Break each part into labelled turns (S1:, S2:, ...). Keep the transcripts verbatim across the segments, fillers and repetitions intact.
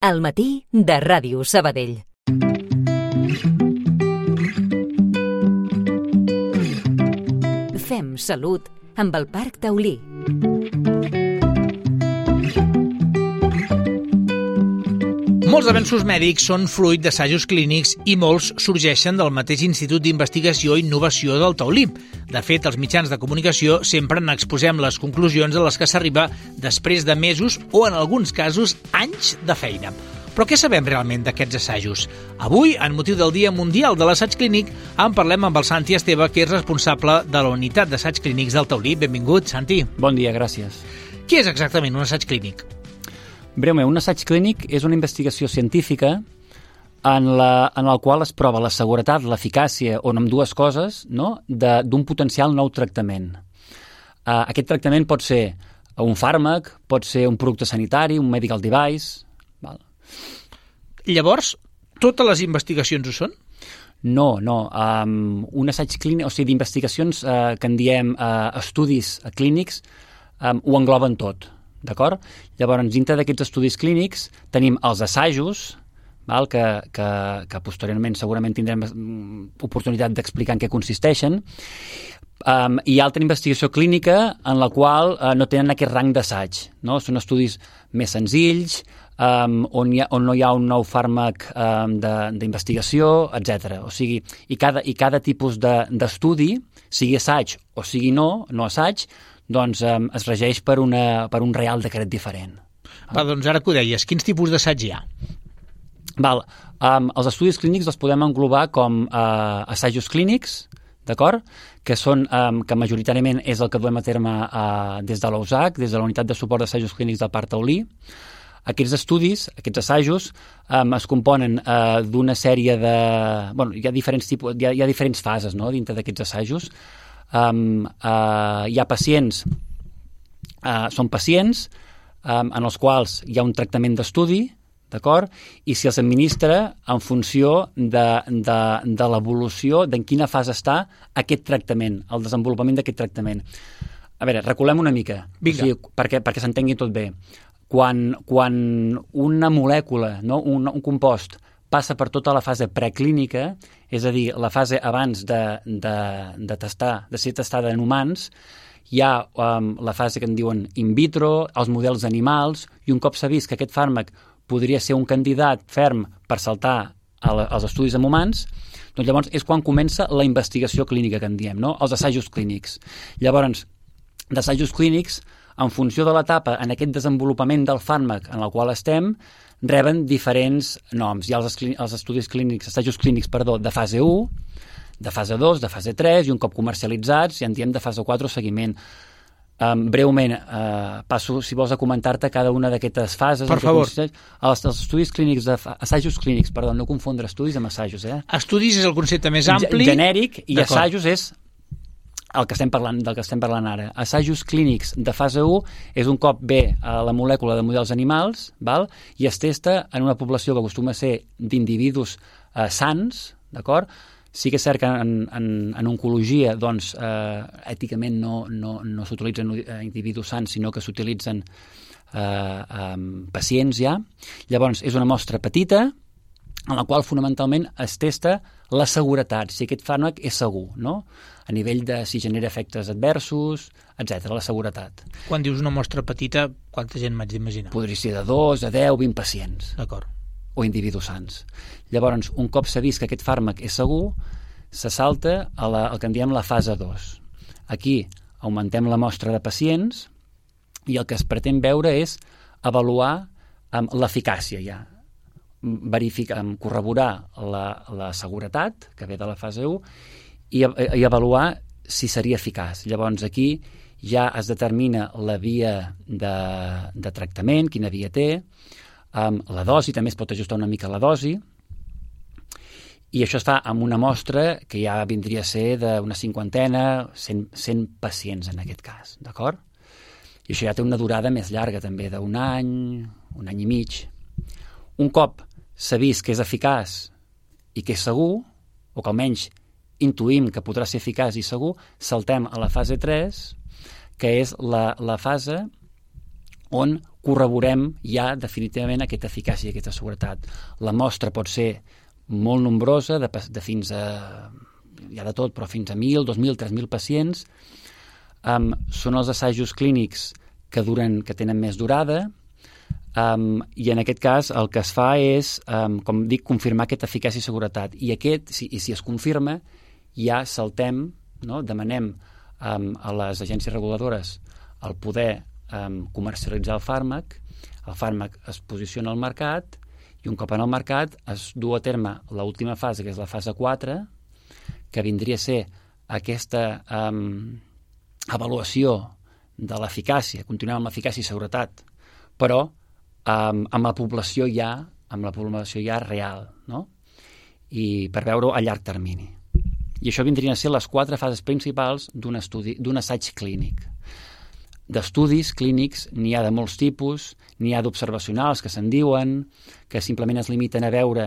S1: Al matí de Ràdio Sabadell. Fem salut amb el Parc Taulí.
S2: Molts avenços mèdics són fruit d'assajos clínics i molts sorgeixen del mateix Institut d'Investigació i Innovació del Taulí. De fet, els mitjans de comunicació sempre n'exposem les conclusions a les que s'arriba després de mesos o, en alguns casos, anys de feina. Però què sabem realment d'aquests assajos? Avui, en motiu del Dia Mundial de l'Assaig Clínic, en parlem amb el Santi Esteve, que és responsable de la Unitat d'Assaig Clínics del Taulí. Benvingut, Santi.
S3: Bon dia, gràcies.
S2: Què és exactament un assaig clínic?
S3: Breument, un assaig clínic és una investigació científica en la, en la qual es prova la seguretat, l'eficàcia, o amb dues coses, no? de, d'un potencial nou tractament. Uh, aquest tractament pot ser un fàrmac, pot ser un producte sanitari, un medical device. Val.
S2: Llavors, totes les investigacions ho són?
S3: No, no. Um, un assaig clínic, o sigui, d'investigacions uh, que en diem uh, estudis clínics, um, ho engloben tot. D'acord? Llavors, dintre d'aquests estudis clínics tenim els assajos, val? Que, que, que posteriorment segurament tindrem oportunitat d'explicar en què consisteixen, um, i altra investigació clínica en la qual uh, no tenen aquest rang d'assaig, no? Són estudis més senzills, um, on, hi ha, on no hi ha un nou fàrmac um, de, d'investigació, etcètera. O sigui, i cada, i cada tipus de, d'estudi, sigui assaig o sigui no, no assaig, doncs um, es regeix per, una, per un reial decret diferent.
S2: Va, doncs ara que ho deies, quins tipus d'assaig hi ha?
S3: Val, um, els estudis clínics els podem englobar com uh, assajos clínics, d'acord? Que són, um, que majoritàriament és el que duem a terme uh, des de l'U S A C, des de la Unitat de Suport d'Assajos Clínics del Parc Taulí. Aquests estudis, aquests assajos, um, es componen uh, d'una sèrie de... Bueno, hi ha diferents tipus, hi ha, hi ha diferents fases, no?, dintre d'aquests assajos. Um, uh, hi ha pacients, uh, són pacients um, en els quals hi ha un tractament d'estudi, d'acord? I si els administra en funció de, de, de l'evolució d'en quina fase està aquest tractament, el desenvolupament d'aquest tractament. A veure, reculem una mica, o sigui, perquè, perquè s'entengui tot bé. Quan, quan una molècula, no? un, un compost, passa per tota la fase preclínica, és a dir, la fase abans de, de, de testar, de ser testada en humans, hi ha um, la fase que en diuen in vitro, els models animals, i un cop s'ha vist que aquest fàrmac podria ser un candidat ferm per saltar a la, als estudis en humans, doncs llavors és quan comença la investigació clínica que en diem, no? Els assajos clínics. Llavors, d'assajos clínics, en funció de l'etapa en aquest desenvolupament del fàrmac en el qual estem, reben diferents noms. Hi ha els, els estudis clínics, assajos clínics, perdó, de fase u, de fase dos, de fase tres, i un cop comercialitzats, ja en diem de fase quatre o seguiment. Um, breument, uh, passo, si vols, a comentar-te cada una d'aquestes fases.
S2: Per favor.
S3: Els, els estudis clínics, de, assajos clínics, perdó, no confondre estudis amb assajos. Eh?
S2: Estudis és el concepte més ampli.
S3: Genèric, i D'acord. Assajos és el que estem parlant, del que estem parlant ara. Assajos clínics de fase u és un cop ve a la molècula de models animals, val? I es testa en una població que acostuma a ser d'individus eh, sans, d'acord? Sí que és cert que en, en, en oncologia, doncs, eh, èticament no, no, no s'utilitzen individus sans, sinó que s'utilitzen eh, eh, pacients ja. Llavors, és una mostra petita, en la qual fonamentalment es testa la seguretat, si aquest fàrmac és segur, no? A nivell de si genera efectes adversos, etcètera, la seguretat.
S2: Quan dius una mostra petita, quanta gent m'haig d'imaginar?
S3: Podria ser de dos a deu, vint pacients.
S2: D'acord.
S3: O individus sans. Llavors, un cop s'ha vist que aquest fàrmac és segur, se salta a la, al que en diem la fase dos. Aquí augmentem la mostra de pacients i el que es pretén veure és avaluar um, l'eficàcia ja. Verificar, corroborar la, la seguretat que ve de la fase u i, i avaluar si seria eficaç. Llavors aquí ja es determina la via de, de tractament, quina via té, um, la dosi, també es pot ajustar una mica la dosi, i això es fa amb una mostra que ja vindria a ser d'una cinquantena, cent, cent pacients en aquest cas, d'acord? I això ja té una durada més llarga també, d'un any, un any i mig. Un cop s'ha vist que és eficaç i que és segur, o que almenys intuïm que podrà ser eficaç i segur, saltem a la fase tres, que és la, la fase on corroborem ja definitivament aquesta eficàcia i aquesta seguretat. La mostra pot ser molt nombrosa, de, de fins a, ja de tot, però fins a mil, dos mil, tres mil pacients. Um, són els assajos clínics que duren, que tenen més durada, um, i en aquest cas el que es fa és, um, com dic, confirmar aquesta eficàcia i seguretat. I aquest, si, i si es confirma, ja saltem, no? Demanem um, a les agències reguladores el poder um, comercialitzar el fàrmac, el fàrmac es posiciona al mercat i un cop en el mercat es du a terme l'última fase, que és la fase quatre, que vindria a ser aquesta um, avaluació de l'eficàcia, continuem amb l'eficàcia i seguretat, però um, amb la població ja, amb la població ja real, no? I per veure-ho a llarg termini. I això vindrien a ser les quatre fases principals d'un estudi, d'un assaig clínic. D'estudis clínics n'hi ha de molts tipus, n'hi ha d'observacionals que se'n diuen, que simplement es limiten a veure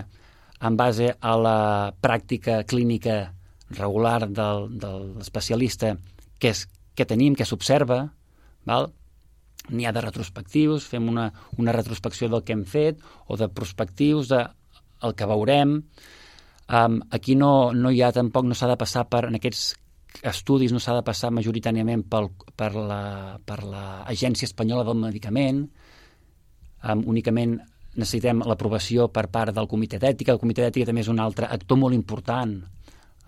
S3: en base a la pràctica clínica regular del, de l'especialista què és, què tenim, què s'observa, val? N'hi ha de retrospectius, fem una, una retrospecció del que hem fet, o de prospectius, de el que veurem. Um, aquí no, no hi ha tampoc, no s'ha de passar per, en aquests estudis no s'ha de passar majoritàriament pel, per la per l'Agència Espanyola del Medicament, um, únicament necessitem l'aprovació per part del Comitè d'Ètica. El Comitè d'Ètica també és un altre actor molt important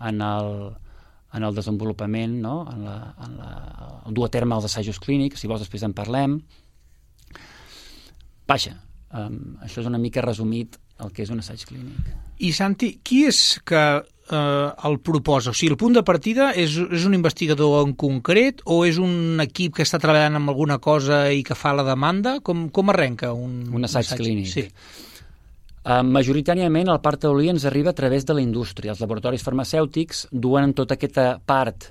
S3: en el, en el desenvolupament, no? en, la, en la, el dur a terme els assajos clínics, si vols després en parlem. Vaja, um, això és una mica resumit el que és un assaig clínic.
S2: I Santi, qui és que eh, el proposa? O sigui, el punt de partida és, és un investigador en concret o és un equip que està treballant amb alguna cosa i que fa la demanda? Com, com arrenca un,
S3: un assaig, assaig clínic?
S2: Sí.
S3: Uh, majoritàriament el part taulí ens arriba a través de la indústria. Els laboratoris farmacèutics duen tota aquesta part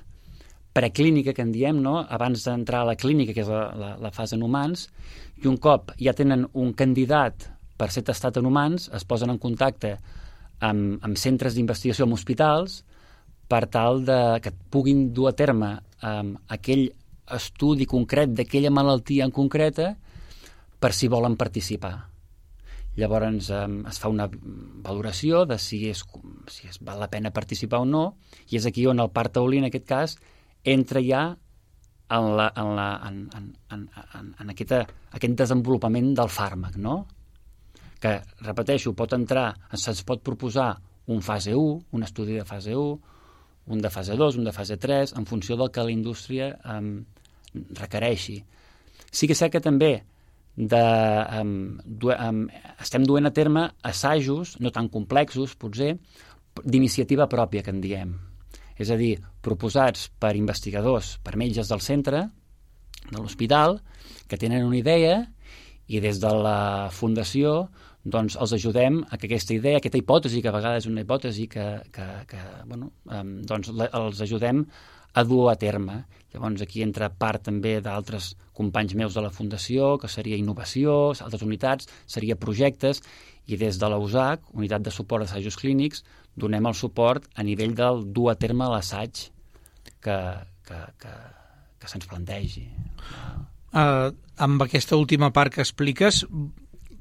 S3: preclínica que en diem, no? Abans d'entrar a la clínica, que és la, la, la fase en humans, i un cop ja tenen un candidat per ser testat en humans, es posen en contacte amb, amb centres d'investigació, amb hospitals, per tal de, que puguin dur a terme um, aquell estudi concret d'aquella malaltia en concreta per si volen participar. Llavors um, es fa una valoració de si, és, si és, val la pena participar o no, i és aquí on el part taulí, en aquest cas, entra ja en, la, en, la, en, en, en, en, en aquesta, aquest desenvolupament del fàrmac, no? Que, repeteixo, pot entrar, se'ns pot proposar un fase u, un estudi de fase u, un de fase dos, un de fase tres, en funció del que la indústria um, requereixi. Sí que és cert que també de, um, du, um, estem duent a terme assajos, no tan complexos, potser, d'iniciativa pròpia, que en diem. És a dir, proposats per investigadors, per metges del centre, de l'hospital, que tenen una idea i des de la fundació doncs els ajudem a que aquesta idea, aquesta hipòtesi, que a vegades és una hipòtesi que, que, que bueno, um, doncs la, els ajudem a dur a terme. Llavors aquí entra part també d'altres companys meus de la fundació, que seria innovació, altres unitats, seria projectes, i des de la U S A C, Unitat de Suport d'Assajos Clínics, donem el suport a nivell del dur a terme l'assaig que, que, que, que se'ns plantegi.
S2: Uh, amb aquesta última part que expliques,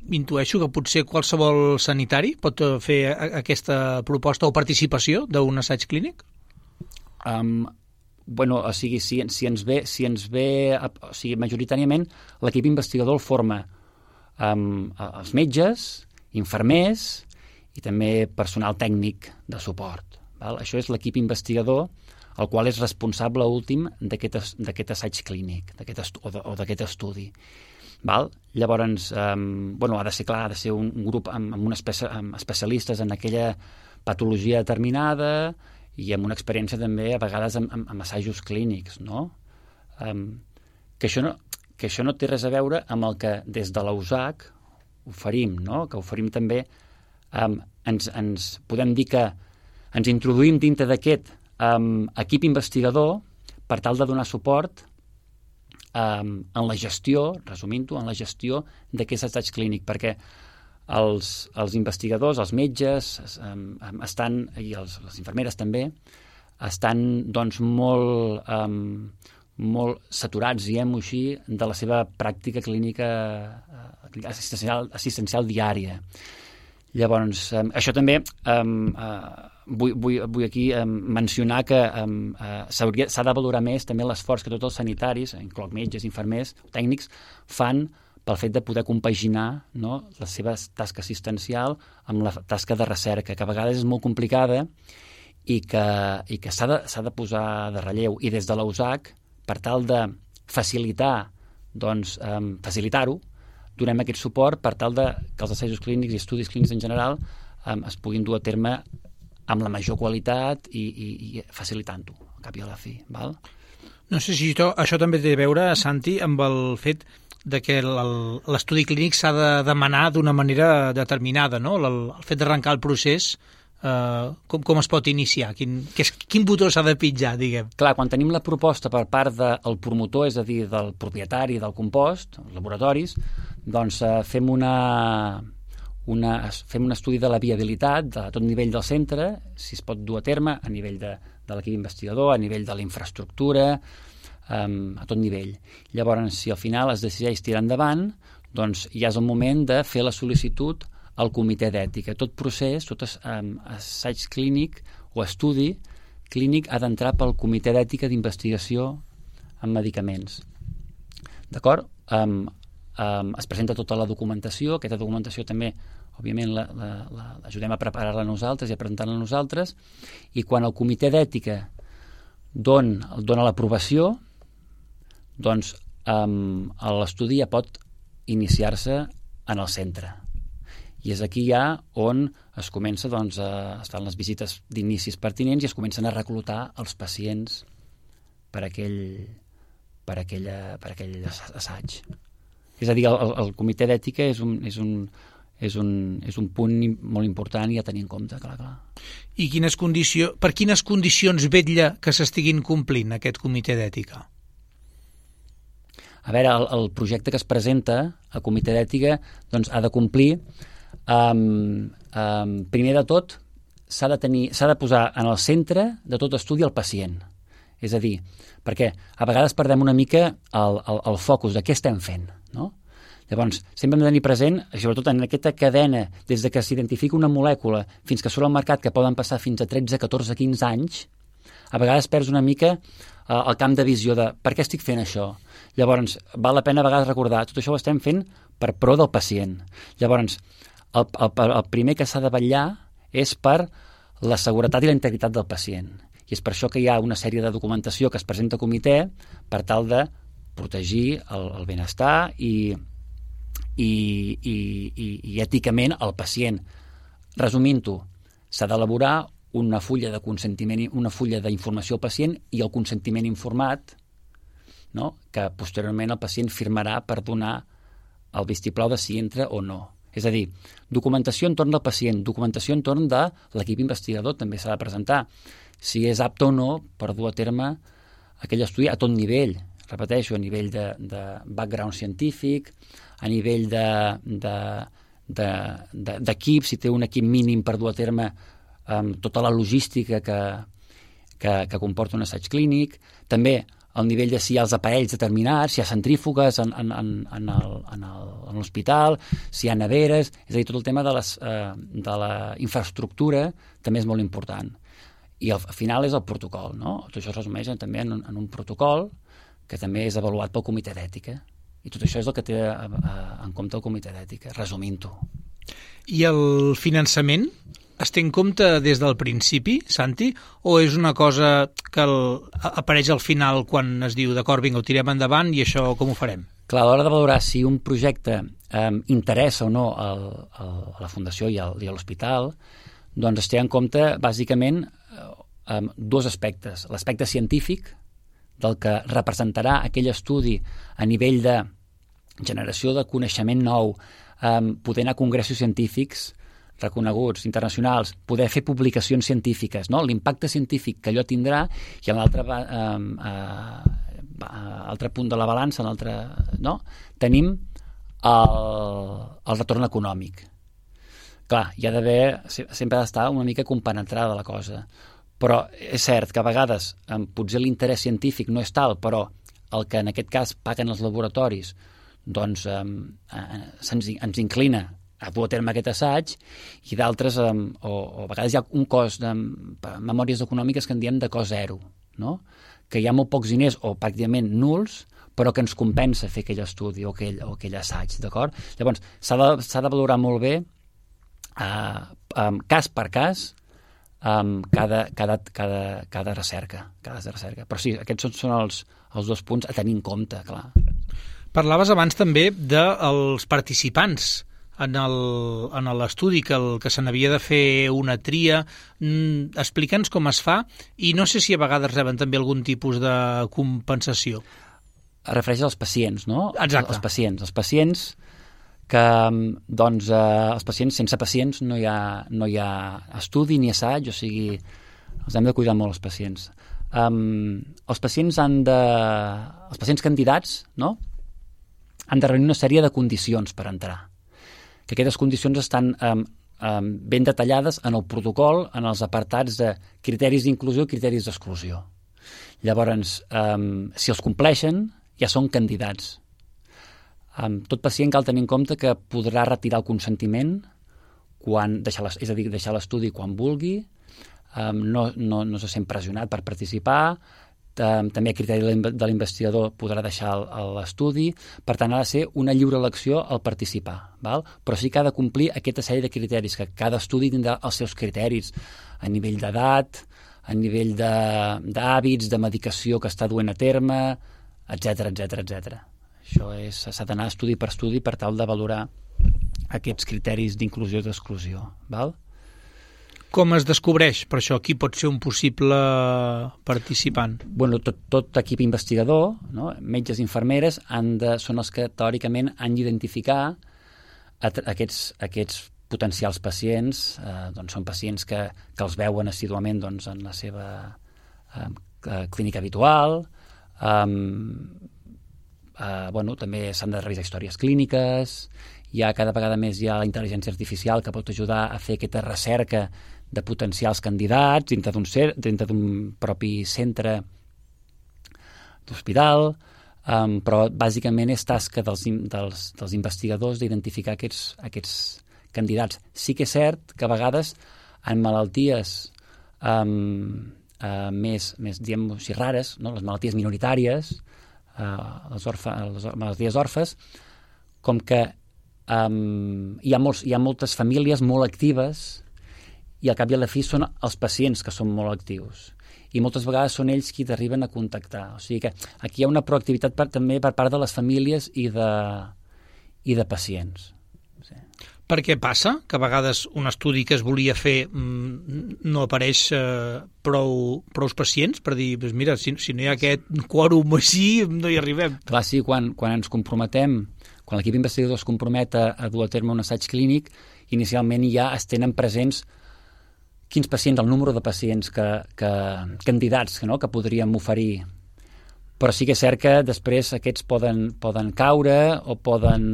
S2: intueixo que potser qualsevol sanitari pot fer aquesta proposta o participació d'un assaig clínic?
S3: Um, bueno, o sigui, si, si ens ve, si ens ve o sigui, majoritàriament l'equip investigador el forma um, els metges, infermers i també personal tècnic de suport. Val? Això és l'equip investigador, el qual és responsable últim d'aquest assaig clínic d'aquest o d'aquest estudi. Val? Llavors, um, bueno, ha de ser clar, ha de ser un, un grup amb, amb, una espe- amb especialistes en aquella patologia determinada i amb una experiència també, a vegades, amb, amb, amb assajos clínics, no? Um, que, això no? Que això no té res a veure amb el que des de la U S A C oferim, no? Que oferim també, um, ens, ens podem dir que ens introduïm dintre d'aquest um, equip investigador per tal de donar suport um, en la gestió, resumint-ho, en la gestió d'aquest assaig clínic, perquè els, els investigadors, els metges um, estan, i els, les infermeres també, estan doncs molt, um, molt saturats, diguem-ho així, de la seva pràctica clínica eh, assistencial, assistencial diària. Llavors, eh, això també eh, eh, vull, vull, vull aquí eh, mencionar que eh, s'ha de valorar més també l'esforç que tots els sanitaris, incloc metges, infermers, tècnics, fan pel fet de poder compaginar, no, la seva tasca assistencial amb la tasca de recerca, que a vegades és molt complicada i que, i que s'ha de, s'ha de posar de relleu. I des de l'A U S A C, per tal de facilitar, doncs, eh, facilitar-ho, donem aquest suport per tal de que els assajos clínics i estudis clínics en general eh, es puguin dur a terme amb la major qualitat i, i, i facilitant-ho, al cap i a la fi. Val?
S2: No sé si això, això també té a veure, Santi, amb el fet de que l'estudi clínic s'ha de demanar d'una manera determinada, no? El, el fet d'arrencar el procés, eh, com, com es pot iniciar? Quin, quin, quin botó s'ha de pitjar, diguem?
S3: Clar, quan tenim la proposta per part del promotor, és a dir, del propietari del compost, els laboratoris, doncs eh, fem una... Una, fem un estudi de la viabilitat de tot nivell del centre, si es pot dur a terme a nivell de, de l'equip investigador, a nivell de la infraestructura, um, a tot nivell. Llavors, si al final es decideix tirar endavant, doncs ja és el moment de fer la sol·licitud al comitè d'ètica. Tot procés, tot um, assaig clínic o estudi clínic ha d'entrar pel comitè d'ètica d'investigació en medicaments. D'acord? Um, Um, es presenta tota la documentació, aquesta documentació també, òbviament, la, la, la, l'ajudem a preparar-la nosaltres i a presentar-la nosaltres, i quan el comitè d'ètica don, dona l'aprovació, doncs um, l'estudi ja pot iniciar-se en el centre. I és aquí ja on es comença, doncs, a, es fan les visites d'inicis pertinents i es comencen a reclutar els pacients per aquell, per aquella, per aquell assaig. És a dir, el, el comitè d'ètica és un, és, un, és, un, és un punt molt important i a tenir en compte, clar, clar.
S2: I quines condició, per quines condicions vetlla que s'estiguin complint aquest comitè d'ètica?
S3: A veure, el, el projecte que es presenta al comitè d'ètica doncs, ha de complir, um, um, primer de tot, s'ha de, tenir, s'ha de posar en el centre de tot estudi el pacient. És a dir, perquè a vegades perdem una mica el, el, el focus de què estem fent, no? Llavors, sempre hem de tenir present, sobretot en aquesta cadena, des de que s'identifica una molècula fins que surt al mercat, que poden passar fins a tretze, catorze, quinze anys, a vegades perds una mica eh, el camp de visió de per què estic fent això. Llavors, val la pena a vegades recordar, tot això ho estem fent per pro del pacient. Llavors, el, el, el primer que s'ha de vetllar és per la seguretat i la integritat del pacient. I és per això que hi ha una sèrie de documentació que es presenta al comitè per tal de protegir el, el benestar i, i, i, i, i èticament el pacient. Resumint-ho, s'ha d'elaborar una fulla de consentiment, una fulla d'informació al pacient i el consentiment informat, no? Que posteriorment el pacient firmarà per donar el vistiplau de si entra o no. És a dir, documentació entorn del pacient, documentació entorn de l'equip investigador també s'ha de presentar, si és apte o no per dur a terme aquell estudi a tot nivell, repeteixo, a nivell de, de background científic, a nivell de, de, de, de, d'equip, si té un equip mínim per dur a terme um, tota la logística que, que, que comporta un assaig clínic, també al nivell de si hi ha els aparells determinats, si hi ha centrífugues en, en, en, en, el, en, el, en l'hospital, si hi ha neveres, és a dir, tot el tema de, les, eh, de la infraestructura també és molt important. I al final és el protocol, no? Tot això es resumeix també en un, en un protocol que també és avaluat pel comitè d'ètica. I tot això és el que té a, a, en compte el comitè d'ètica, resumint-ho.
S2: I el finançament es té en compte des del principi, Santi, o és una cosa que el, apareix al final quan es diu d'acord, vinga, ho tirem endavant i això com ho farem?
S3: Clar, a l'hora de valorar si un projecte eh, interessa o no el, el, a la Fundació i, el, i a l'hospital, doncs es té en compte, bàsicament, eh, dos aspectes. L'aspecte científic, del que representarà aquell estudi a nivell de generació de coneixement nou, eh, poder anar a congressos científics reconeguts, internacionals, poder fer publicacions científiques, no? L'impacte científic que allò tindrà, i en l'altre eh, eh, altre punt de la balança, en l'altre, no? Tenim el, el retorn econòmic. Clar, hi ha d'haver, sempre ha d'estar una mica compenetrada la cosa, però és cert que a vegades eh, potser l'interès científic no és tal, però el que en aquest cas paguen els laboratoris doncs eh, eh, se'ns, ens inclina a dur a terme aquest assaig, i d'altres, eh, o, o a vegades hi ha un cost de memòries econòmiques que en diem de cost zero, no? Que hi ha molt pocs diners o pràcticament nuls, però que ens compensa fer aquell estudi o aquell, o aquell assaig, d'acord? Llavors, s'ha de, s'ha de valorar molt bé, eh, um, cas per cas, um, cada, cada, cada, cada recerca, cada recerca. Però sí, aquests són, són els, els dos punts a tenir en compte, clar.
S2: Parlaves abans també dels participants en el- en l'estudi, que, el, que se n'havia de fer una tria. Mm, explica'ns com es fa, i no sé si a vegades reben també algun tipus de compensació.
S3: Es refereix als pacients, no?
S2: Exacte.
S3: Els pacients. Els pacients que, doncs, eh, els pacients, sense pacients no hi ha, no hi ha estudi ni assaig, o sigui, els hem de cuidar molt, els pacients. Um, els pacients han de... Els pacients candidats, no?, han de reunir una sèrie de condicions per entrar. Que aquestes condicions estan um, um, ben detallades en el protocol, en els apartats de criteris d'inclusió i criteris d'exclusió. Llavors, um, si els compleixen, ja són candidats. Um, tot pacient cal tenir en compte que podrà retirar el consentiment, quan deixar les, és a dir, deixar l'estudi quan vulgui, um, no, no, no se sent pressionat per participar, um, també a criteri de l'investigador podrà deixar l'estudi, per tant ha de ser una lliure elecció al participar, val? Però sí que ha de complir aquesta sèrie de criteris, que cada estudi tindrà els seus criteris, a nivell d'edat, a nivell d'hàbits, de, de medicació que està duent a terme, etcètera, etcètera, etcètera. Això és, s'ha d'anar estudi per estudi per tal de valorar aquests criteris d'inclusió i d'exclusió. Val?
S2: Com es descobreix, per això, qui pot ser un possible participant?
S3: Bueno, tot, tot equip investigador, no? Metges i infermeres, han de, són els que teòricament han d'identificar aquests, aquests potencials pacients. Eh, doncs són pacients que, que els veuen assíduament doncs, en la seva eh, clínica habitual. Um, uh, bueno, també s'han de revisar històries clíniques, hi ha cada vegada més hi ha la intel·ligència artificial que pot ajudar a fer aquesta recerca de potencials candidats dintre d'un, dintre d'un propi centre d'hospital, um, però bàsicament és tasca dels, dels, dels investigadors d'identificar aquests, aquests candidats. Sí que és cert que a vegades en malalties um, Uh, més, més diguem així, rares, no? Les malalties minoritàries, uh, les, orfa, les malalties orfes, com que um, hi, ha molts, hi ha moltes famílies molt actives i al cap i a la fi són els pacients que són molt actius. I moltes vegades són ells qui t'arriben a contactar. O sigui que aquí hi ha una proactivitat per, també per part de les famílies i de, i de pacients. Sí.
S2: Per què passa que a vegades un estudi que es volia fer mmm, no apareix eh, prou, prou pacients per dir, pues mira, si, si no hi ha aquest quòrum així, no hi arribem?
S3: Clar, sí, quan, quan ens comprometem, quan l'equip investigador es compromet a, a dur a terme un assaig clínic, inicialment ja es tenen presents quins pacients, el número de pacients que, que candidats que, no, que podríem oferir. Però sí que és cert que després aquests poden, poden caure o poden,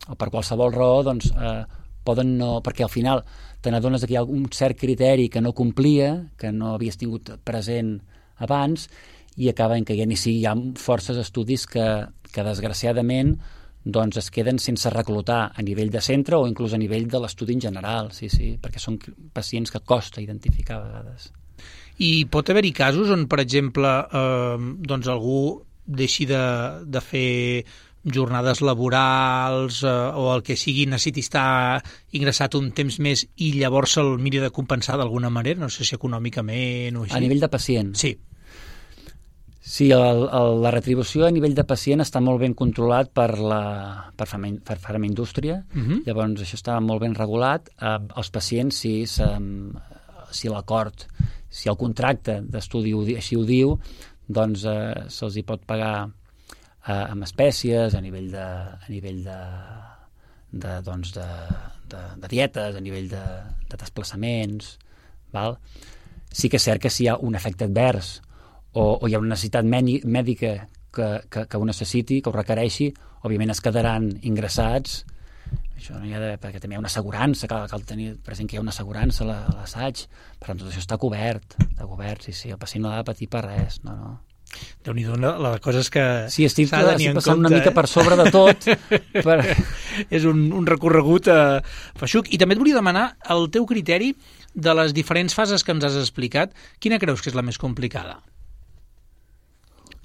S3: o per qualsevol raó, doncs, eh, poden no... Perquè al final te n'adones que hi ha un cert criteri que no complia, que no havies tingut present abans, i acaben caient. I sí, hi ha forces estudis que, que desgraciadament doncs es queden sense reclutar a nivell de centre o inclús a nivell de l'estudi en general, sí, sí, perquè són pacients que costa identificar a vegades.
S2: I pot haver-hi casos on, per exemple, eh, doncs algú deixi de, de fer jornades laborals eh, o el que sigui, necessiti estar ingressat un temps més i llavors se'l miri de compensar d'alguna manera, no sé si econòmicament o així.
S3: A nivell de pacient?
S2: Sí.
S3: Sí, el, el, la retribució a nivell de pacient està molt ben controlat per la per farma, per farmaindústria, uh-huh. Llavors això està molt ben regulat. Eh, els pacients, si, si l'acord, si el contracte d'estudi així ho diu, doncs eh, se'ls hi pot pagar eh, amb espècies, a nivell de, a nivell de, de, doncs de, de, de dietes, a nivell de, de desplaçaments, val? Sí que és cert que si hi ha un efecte advers o, o hi ha una necessitat mèdica que, que, que ho necessiti, que ho requereixi, òbviament es quedaran ingressats. Això no hi ha de, perquè també hi ha una assegurança, cal, cal tenir present que hi ha una assegurança a l'assaig, per tant tot això està cobert, està cobert, sí, sí, el pacient no ha de patir per res, no, no.
S2: Déu-n'hi-do, la cosa és que
S3: sí, estic,
S2: s'ha de tenir
S3: estic
S2: en
S3: passant
S2: compte,
S3: una mica
S2: eh?
S3: per sobre de tot. per...
S2: És un, un recorregut eh, feixuc. I també et volia demanar el teu criteri de les diferents fases que ens has explicat. Quina creus que és la més complicada?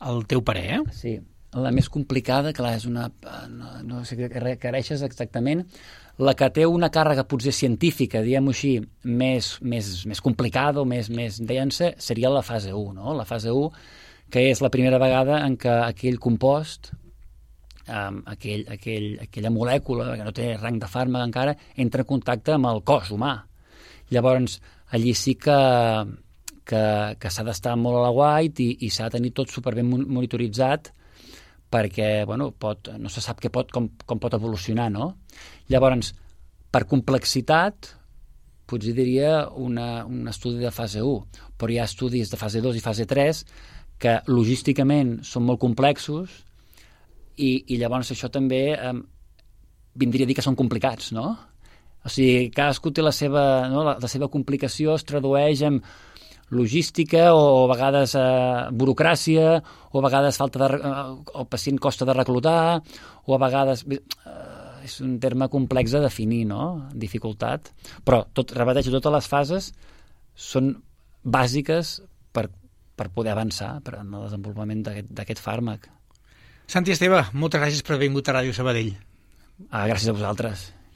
S2: El teu parer, eh?
S3: Sí, la més complicada, clar, és una... No, no sé què requereixes exactament. La que té una càrrega potser científica, diguem-ho així, més, més, més complicada o més, més densa, seria la fase u, no? La fase u, que és la primera vegada en què aquell compost, um, aquell, aquell, aquella molècula, que no té rang de fàrmac encara, entra en contacte amb el cos humà. Llavors, allí sí que, que, que s'ha d'estar molt a l'aguait i, i s'ha de tenir tot superben monitoritzat, perquè bueno, pot, no se sap què pot, com, com pot evolucionar, no? Llavors, per complexitat, potser diria una, un estudi de fase u, però hi ha estudis de fase dos i fase tres que logísticament són molt complexos i, i llavors això també eh, vindria a dir que són complicats, no? O sigui, cadascú té la seva, no? la, la seva complicació es tradueix en logística o a vegades eh, burocràcia o a vegades falta de, eh, el pacient costa de reclutar o a vegades eh, és un terme complex de definir, no? Dificultat, però tot, repeteixo, totes les fases són bàsiques per, per poder avançar per en el desenvolupament d'aquest fàrmac.
S2: Santi Esteve, moltes gràcies per haver vingut a Ràdio Sabadell.
S3: Ah, gràcies a vosaltres.